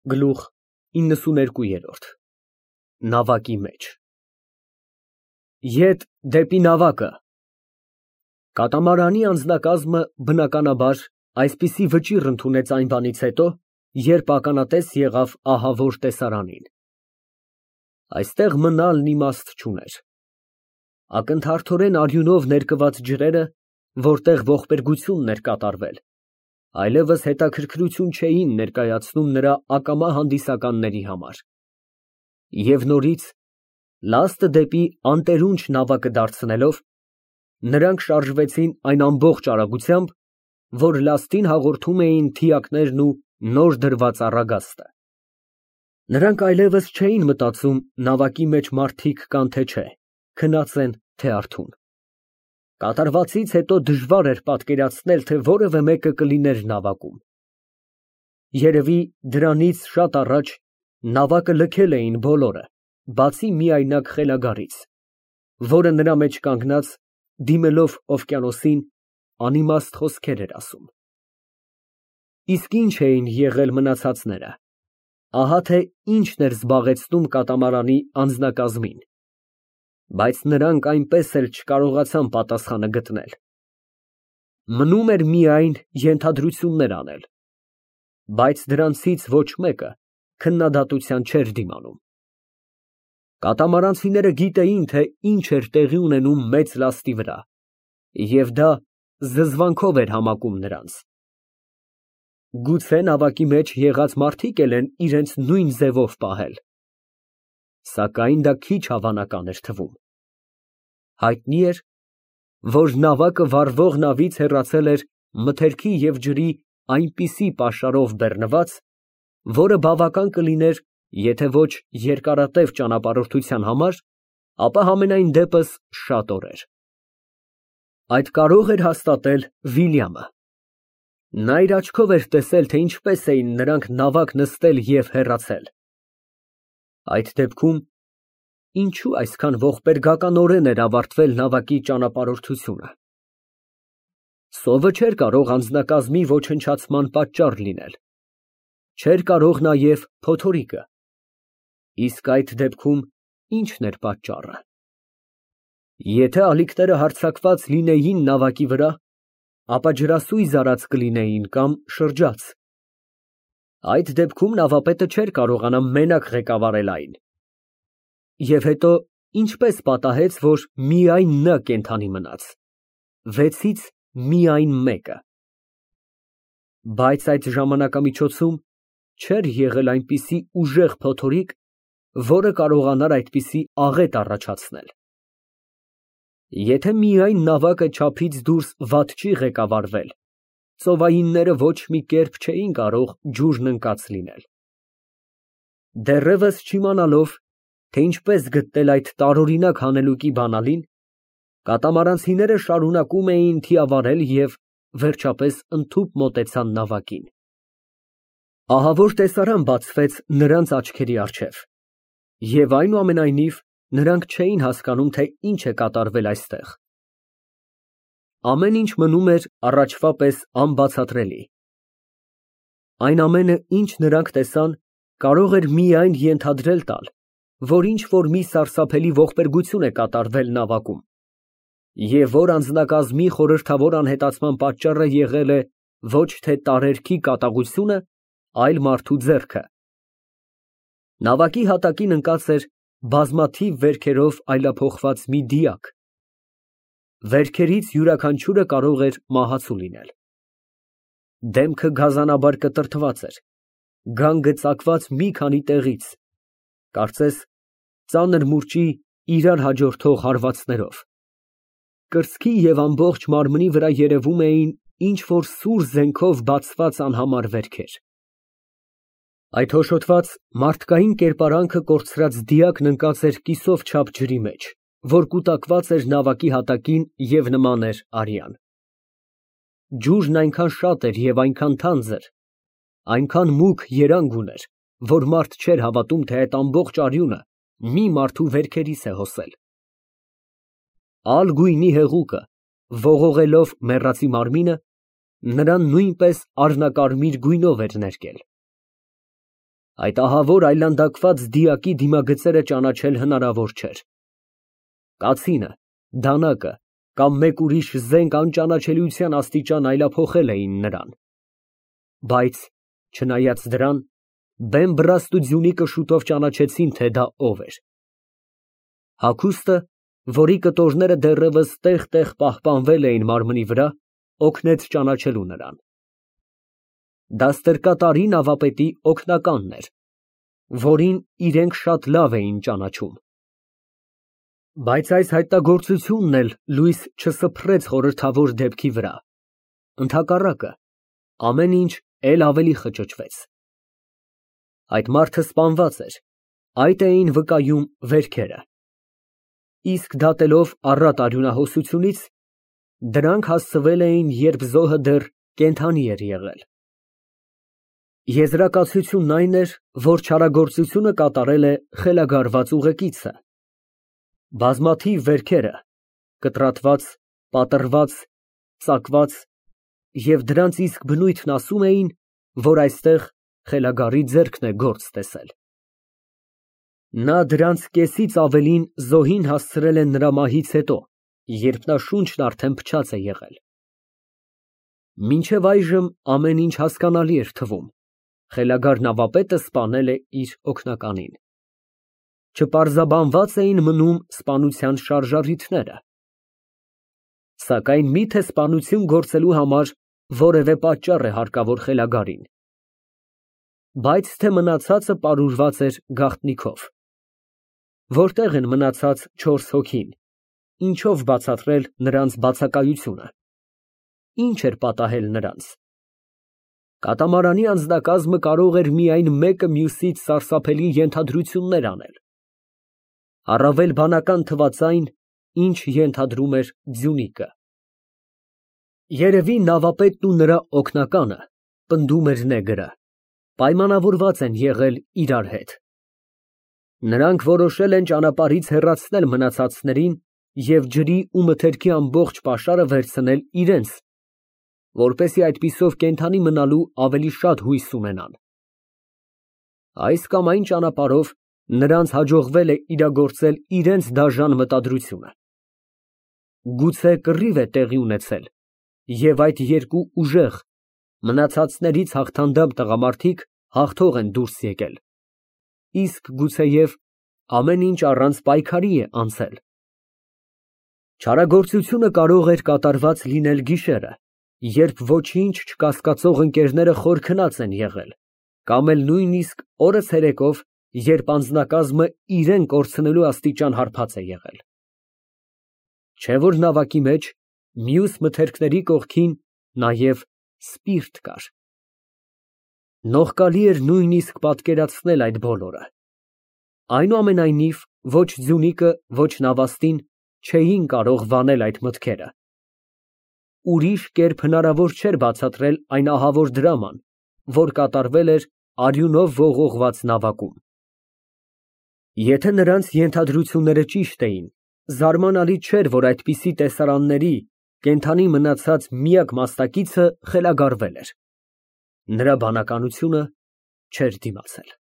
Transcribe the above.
Գլուխ 92 Նավակի մեջ Ետ դեպի նավակը Կատամարանի անձնակազմը բնականաբար այսպիսի վճիռ ընդունեց այն բանից հետո, երբ ականատես եղավ ահավոր տեսարանին։ Այստեղ մնալն իմաստ չուներ։ Ակնթարթորեն արյունով ներկված ջրերը, որտեղ ողբերգությունն էր կատարվել, այլևս հետաքրքրություն չէին ներկայացնում նրա ակամա հանդիսականների համար։ Եվ նորից, լաստը դեպի անտերունջ նավակը դարձնելով, նրանք շարժվեցին այն ամբողջ արագությամբ, որ լաստին հաղորդում էին թիակներն ու նոր դրված առագաստը։ Նրանք այլևս չէին մտածում նավակի մեջ մարդիկ կան թե չէ, քնած են թե արթուն։ Կատարվածից հետո դժվար էր պատկերացնել, թե որևէ մեկը կլիներ նավակում։ Երևի դրանից շատ առաջ նավակը լքել էին բոլորը, բացի միայնակ խելագարից, որը նրա մեջ կանգնած, դիմելով օվկիանոսին, անիմաստ խոսքեր էր ասում։ Իսկ ինչ էին եղել մնացածները, ահա թե ինչն էր զբաղեցնում կատամարանի անձնակազմին, բայց նրանք այնպես էլ չկարողացան պատասխանը գտնել։ Մնում էր միայն ենթադրություններ անել, բայց դրանցից ոչ մեկը քննադատության չէր դիմանում։ Կատամարանցիները գիտեին, թե ինչ էր տեղի ունենում մեծ լաստի վրա, և դա զզվանքով էր համակում նրանց։ Գուցե նավակի մեջ եղած մարդիկ էլ են իրենց նույն ձևով պահել, սակայն դա քիչ հավանական էր թվում։ Հայտնի էր, որ նավակը վառվող նավից հեռացել էր մթերքի և ջրի այնպիսի պաշարով բեռնված, որը բավական կլիներ, եթե ոչ երկարատև ճանապարհորդության համար, ապա համենայն դեպս շատ օրեր։ Այդ կարող էր հաստատել Վիլյամը։ Նա իր աչքով էր տեսել, թե ինչպես էին նրանք նավակ նստել և հեռացել։ Այդ դեպքում ինչու այսքան ողբերգականորեն էր ավարտվել նավակի ճանապարհորդությունը։ Սովը չէր կարող անձնակազմի ոչնչացման պատճառ լինել, չէր կարող նաև փոթորիկը, իսկ այդ դեպքում ի՞նչն էր պատճառը։ Եթե ալիքները հարձակված լինեին նավակի վրա, ապա ջրասույզ արած կլինեին կամ շրջած։ Այդ դեպքում նավապետը չէր կարողանա մենակ ղեկավարել այն։ Եվ հետո ինչպես պատահեց, որ միայն նա կենդանի մնաց, վեցից միայն մեկը։ Բայց այդ ժամանակամիջոցում չէր եղել այնպիսի ուժեղ փոթորիկ, որը կարողանար այդպիսի աղետ առաջացնել։ Եթե միայն նավակը չափից դուրս վատ չի ղեկավարվել, ծովայինները ոչ մի կերպ չէին կարող ջուրն ընկած լինել։ Դեռևս չիմանալով, թե ինչպես գտնել այդ տարօրինակ հանելուկի բանալին, կատամարանցիները շարունակում էին թիավարել և վերջապես ընդհուպ մոտեցան նավակին։ Ահավոր տեսարան բացվեց նրանց աչքերի առջև, և այնուամենայնիվ նրանք չէին հասկանում, թե ինչ է կատարվել այստեղ։ Ամեն ինչ մնում էր առաջվա պես անբացատրելի։ Այն ամենը, ինչ նրանք տեսան, կարող էր միայն ենթադրել տալ, որ ինչ֊որ մի սարսափելի ողբերգություն է կատարվել նավակում, և որ անձնակազմի խորհրդավոր անհետացման պատճառը եղել է ոչ թե տարերքի կատաղությունը, այլ մարդու ձեռքը։ Նավակի հատակին ընկած էր բազմաթիվ վերքերով այլափոխված մի դիակ։ Վերքերից յուրաքանչյուրը կարող էր մահացու լինել։ Դեմքը գազանաբար կտրտված էր, գանգը ծակված մի քանի տեղից, կարծես ծանր մուրճի իրար հաջորդող հարվածներով։ Կրծքի և ամբողջ մարմնի վրա երևում էին ինչ֊որ սուր զենքով բացված անհամար վերքեր։ Այդ հոշոտված մարդկային կերպարանքը կորցրած դիակն ընկած էր կիսով չափ ջրի մեջ, որ կուտակված էր նավակի հատակին և նման էր արյան։ Ջուրն այնքան շատ էր և այնքան թանձր, այնքան մուգ երանգ ուներ, որ մարդ չէր հավատում, թե այդ ամբողջ արյունը մի մարդու վերքերից է հոսել։ Ալ գույնի հեղուկը, ողողելով մեռածի մարմինը, նրան նույնպես առնակարմիր գույնով էր ներկել։ Այդ ահավոր այլանդակված դիակի դիմագծերը ճանաչել հնարավոր չէր։ Կացինը, դանակը կամ մեկ ուրիշ զենք անճանաչելիության աստիճան այլափոխել էին նրան։ Բայց, չնայած դրան, բեմ բռաստ ու Ձյունիկը շուտով ճանաչեցին, թե դա ով էր։ Հագուստը, որի կտորները դեռևս տեղ-տեղ պահպանվել էին մարմնի վրա, օգնեց ճանաչելու նրան։ Դա ստրկատարի նավապետի օգնականն էր, որին իրենք շատ լավ էին ճանաչում։ Բայց այս հայտնագործությունն էլ լույս չսփռեց խորհրդավոր դեպքի վրա։ Ընդհակառակը, ամեն ինչ էլ ավելի խճճվեց։ Այդ մարդը սպանված էր, այդ էին վկայում վերքերը։ Իսկ դատելով առատ արյունահոսությունից, դրանք հասցվել էին, երբ զոհը դեռ կենդանի էր եղել։ Եզրակացությունն այն էր, որ չարագործությունը կատարել է խելագարված ուղեկիցը։ Բազմաթիվ վերքերը, կտրատված, պատռված, ծակված և դրանց իսկ բնույթն ասում էին, որ այստեղ խելագարի ձեռքն է գործ տեսել։ Նա դրանց կեսից ավելին զոհին հասցրել է նրա մահից հետո, երբ նա շունչն արդեն փչած է եղել։ Մինչև այժմ ամեն ինչ հասկանալի էր թվում, խելագար նավապետը սպանել է իր օգնականին։ Չպարզաբանված էին մնում սպանության շարժառիթները։ Սակայն մի՞թե սպանություն գործելու համար որևէ պատճառ է հարկավոր խելագարին։ Բայց թե մնացածը պարուրված էր գաղտնիքով։ Որտեղ են մնացած 4 հոգին, ինչով բացատրել նրանց բացակայությունը։ Ինչ էր պատահել նրանց։ Կատամարանի անձնակազմը կարող էր միայն մեկը մյուսից սարսափելի ենթադրություններ անել։ Առավել բանական թվաց այն, ինչ ենթադրում էր Ձյունիկը։ Երևի նավապետն ու նրա օգնականը, պնդում էր նեգրը, պայմանավորված են եղել իրար հետ։ Նրանք որոշել են ճանապարհից հեռացնել մնացածներին և ջրի ու մթերքի ամբողջ պաշարը վերցնել իրենց, որպեսզի այդպիսով կենդանի մնալու ավելի շատ հույս ունենան։ Այս կամ այն ճանապարհով նրանց հաջողվել է իրագործել իրենց դաժան մտադրությունը։ Գուցե կռիվ է տեղի ունեցել, և այդ երկու ուժեղ, մնացածներից հաղթանդամ տղամարդիկ հաղթող են դուրս եկել, իսկ գուցեև ամեն ինչ առանց պայքարի է անցել։ Չարագործությունը կարող էր կատարված լինել գիշերը, երբ ոչինչ չկասկածող ընկերները խոր քնած են եղել, կամ էլ նույնիսկ օրը ցերեկով, երբ անձնակազմը իրեն կորցնելու աստիճան հարբած է եղել։ Չէ՞ որ նավակի մեջ, մյուս մթերքների կողքին, նաև սպիրտ կար։ Նողկալի էր նույնիսկ պատկերացնել այդ բոլորը։ Այնուամենայնիվ, ոչ Ձյունիկը, ոչ Նավաստին չէին կարող վանել այդ մտքերը։ Ուրիշ կերպ հնարավոր չէր բացատրել այն ահավոր դրաման, որ կատարվել էր արյունով ողողված նավակում։ Եթե նրանց ենթադրությունները ճիշտ էին, զարմանալի չէր, որ այդպիսի տեսարանների կենդանի մնացած միակ մասնակիցը խելագարվել էր։ Նրա բանականությունը չէր դիմացել։